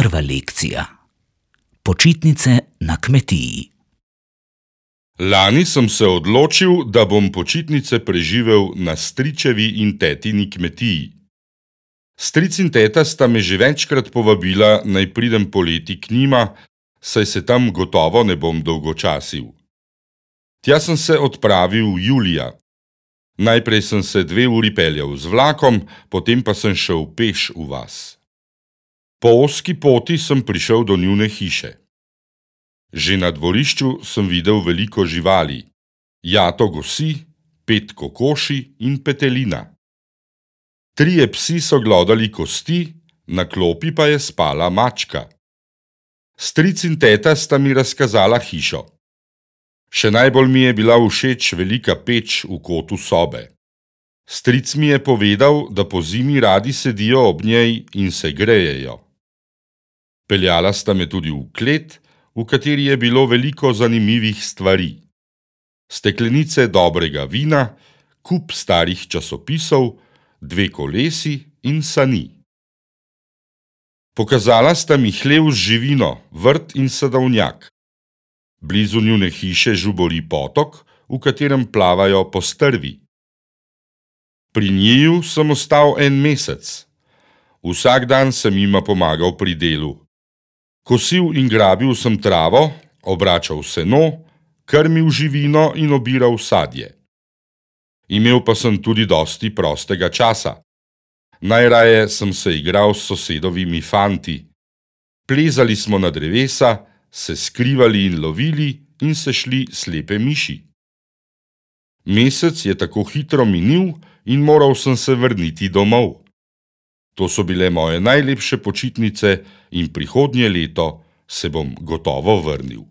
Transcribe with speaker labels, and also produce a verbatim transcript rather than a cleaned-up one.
Speaker 1: Prva lekcija. Počitnice na kmetiji.
Speaker 2: Lani sem se odločil, da bom počitnice preživel na stričevi in tetini kmetiji. Stric in teta sta me že večkrat povabila, naj pridem poleti k njima, saj se tam gotovo ne bom dolgočasil. Tja sem se odpravil julija. Najprej sem se dve uri peljal z vlakom, potem pa sem šel peš v vas. Po ozki poti sem prišel do njune hiše. Že na dvorišču sem videl veliko živali. Jato gosi, pet kokoši in petelina. Trije psi so glodali kosti, na klopi pa je spala mačka. Stric in teta sta mi razkazala hišo. Še najbolj mi je bila všeč velika peč v kotu sobe. Stric mi je povedal, da po zimi radi sedijo ob njej in se grejejo. Peljala sta me tudi v klet, v kateri je bilo veliko zanimivih stvari. Steklenice dobrega vina, kup starih časopisov, dve kolesi in sani. Pokazala sta mi hlev z živino, vrt in sadovnjak. Blizu njune hiše žubori potok, v katerem plavajo postrvi. Pri njiju sem ostal en mesec. Vsak dan sem jima pomagal pri delu. Kosil in grabil sem travo, obračal seno, krmil živino in obiral sadje. Imel pa sem tudi dosti prostega časa. Najraje sem se igral s sosedovimi fanti. Plezali smo na drevesa, se skrivali in lovili in se šli slepe miši. Mesec je tako hitro minil in moral sem se vrniti domov. To so bile moje najlepše počitnice in prihodnje leto se bom gotovo vrnil.